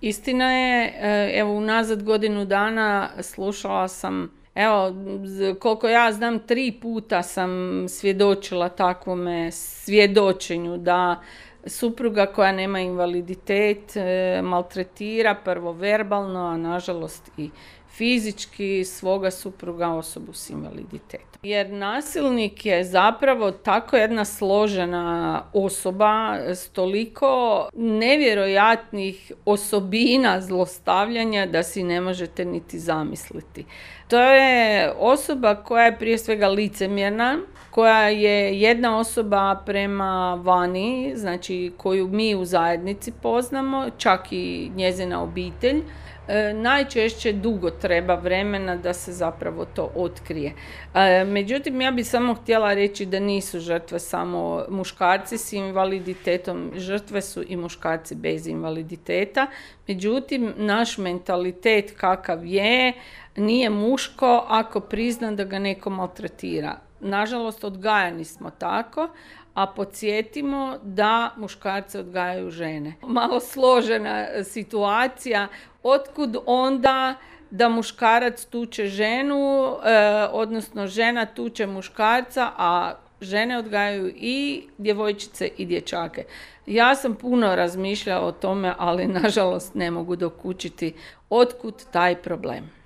Istina je, evo unazad godinu dana slušala sam, evo koliko ja znam 3 puta sam svjedočila takvome svjedočenju da supruga koja nema invaliditet maltretira prvo verbalno, a nažalost i fizički svoga supruga, osobu s invaliditetom. Jer nasilnik je zapravo tako jedna složena osoba s toliko nevjerojatnih osobina zlostavljanja da si ne možete niti zamisliti. To je osoba koja je prije svega licemjerna, koja je jedna osoba prema vani, znači koju mi u zajednici poznamo, čak i njezina obitelj. Najčešće dugo treba vremena da se zapravo to otkrije. Međutim, ja bih samo htjela reći da nisu žrtve samo muškarci s invaliditetom, žrtve su i muškarci bez invaliditeta. Međutim, naš mentalitet kakav je, nije muško ako prizna da ga neko maltretira. Nažalost, odgajani smo tako, a podsjetimo da muškarce odgajaju žene. Malo složena situacija, otkud onda da muškarac tuče ženu, odnosno žena tuče muškarca, a žene odgajaju i djevojčice i dječake. Ja sam puno razmišljala o tome, ali nažalost ne mogu dokučiti otkud taj problem.